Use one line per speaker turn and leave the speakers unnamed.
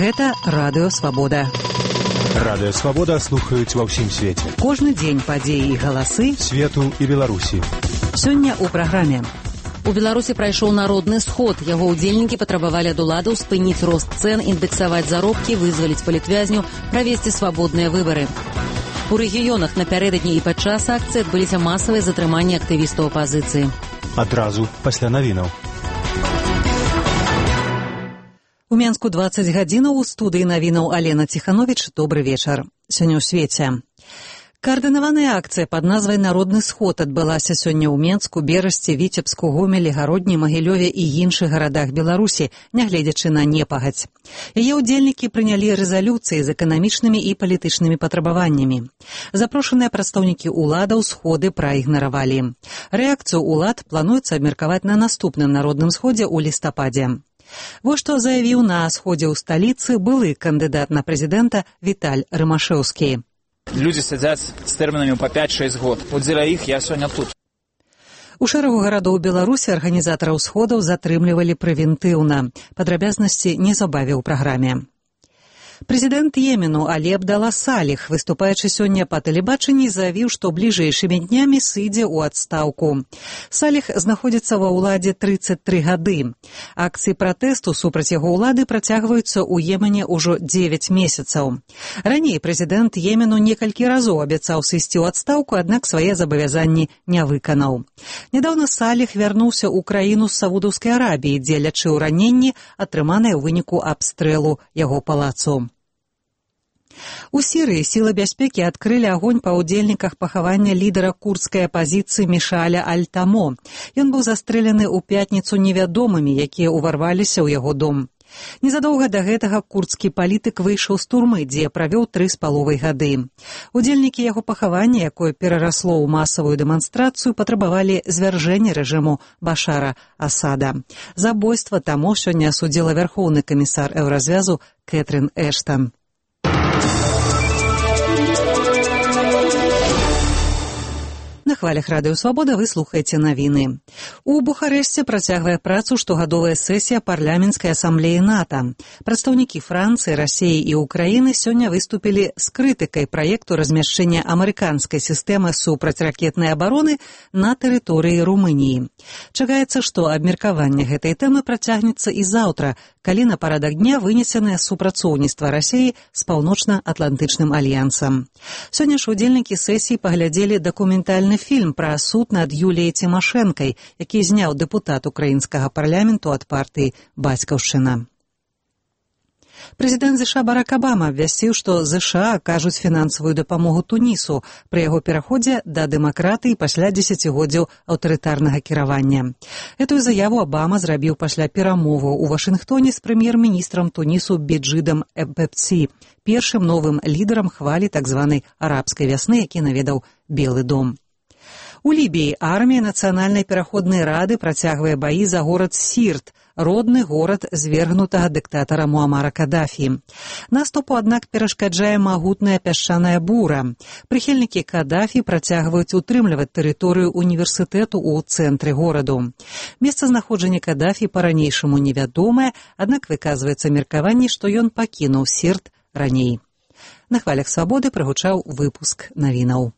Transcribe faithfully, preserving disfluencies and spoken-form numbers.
Гэта Радыё Свабода.
Радыё Свабода слухаюць ва ўсім свеце.
Кожны дзень падзеі і галасы
свету і Беларусі.
Сёння ў праграме.
У Беларусі прайшоў народны сход. Яго ўдзельнікі патрабавалі ад уладаў спыніць рост цэн, індэксаваць заробкі, вызваліць палітвязню, правесці свабодныя выбары. У рэгіёнах напярэдадні і падчас акцыі адбыліся масавыя затрыманні актывістаў апазіцыі.
Адразу пасля навінаў.
У Менску дваццаць гадзінаў, у студыі навінаў Алена Ціхановіч. Добры вечар. Сёння ў свеце. Каардынаваная акцыя пад назвай «Народны сход» адбылася сёння ў Менску, Берасці, Віцебску, Гомелі, Гародні, Магілёве і іншых гарадах Беларусі, нягледзячы на непагадзь. Яе ўдзельнікі прынялі рэзалюцыі з эканамічнымі і палітычнымі патрабаваннямі. Запрошаныя прадстаўнікі ўладаў сходы праігнаравалі. Рэакцыю ўлад плануецца абмеркаваць на наступным народным сходзе ў лістападзе. Вось што заявіў на сходзе ў сталіцы былы кандыдат на прэзідэнта Віталь Рымашэўскі.
Людзі сядзяць з тэрмінамі па пяць-шэсць год. От дзеля іх я сёння тут.
У шэрагу гарадоў Беларусі арганізатараў сходаў затрымлівалі прэвентыўна. Падрабязнасці неўзабаве ў праграме. Прэзідэнт Йемену Алі Абдала Саліх, выступаючы сёння па тэлебачанні, заявіў, што бліжэйшымі днямі сыдзе ў адстаўку. Саліх знаходзіцца ва ўладзе трыццаць тры гады. Акцыі пратэсту супраць яго ўлады працягваюцца ў Йемене ўжо дзевяць месяцаў. Раней прэзідэнт Йемену некалькі разоў абяцаў сысці ў адстаўку, аднак свае забавязанні не выканаў. Нядаўна Саліх вярнуўся ў краіну з Саудаўскай Арабіі, дзе лячыў раненні, атрыманыя ў выніку абстрэлу яго палацу. У Сірыі сілы бяспекі адкрылі агонь па ўдзельніках пахавання лідара курдскай апазіцыі Мішаля Аль-Тамо. Ён быў застрэлены ў пятніцу невядомымі, якія ўварваліся ў яго дом. Незадоўга да гэтага курдскі палітык выйшаў з турмы, дзе правёў тры з паловай гады. Удзельнікі яго пахавання, якое перарасло ў масавую дэманстрацыю, патрабавалі звяржэння рэжыму Башара Асада. Забойства Тамо сёння асудзіла вярхоўны камісар Еўразвязу Кэтрын Эштан. На хвалях Радыё Свабода вы слухаеце навіны. У Бухарэшце працягвае працу штогадовая сесія парламенцкай асамблеі НАТО. Прадстаўнікі Францыі, Расіі і Ўкраіны сёння выступілі з крытыкай праекту размяшчэння амерыканскай сістэмы супрацьракетнай абароны на тэрыторыі Румыніі. Чакаецца, што абмеркаванне гэтай тэмы працягнецца і заўтра, калі на парадак дня вынесенае супрацоўніцтва Расіі з паўночна-атлантычным альянсам. Сёння ж удзельнікі сесіі паглядзелі дакументальны фільм пра суд над Юліяй Цімашэнкай, які зняў дэпутат украінскага парламенту ад партыі «Бацькаўшчына». Прэзідэнт ЗША Барак Абама абвясціў, што ЗША акажуць фінансавую дапамогу Тунісу пры яго пераходзе да дэмакратыі пасля дзесяцігоддзяў аўтарытарнага кіравання. Гэтую заяву Абама зрабіў пасля перамоваў у Вашынгтоне з прэм'ер-міністрам Тунісу Беджидам Эббепсі, першым новым лідарам хвалі так званай арабскай вясны, які наведаў Белы дом. У Лібіі армія Нацыянальнай пераходнай рады працягвае баі за горад Сірт, родны горад звергнутага дыктатара Муамара Кадафі. Наступу, аднак, перашкаджае магутная пясчаная бура. Прыхільнікі Кадафі працягваюць утрымліваць тэрыторыю універсітэту ў цэнтры гораду. Месцазнаходжанне Кадафі па-ранейшаму невядомае, аднак выказваецца меркаванне, што ён пакінуў Сірт раней. На хвалях Свабоды прагучаў выпуск навінаў.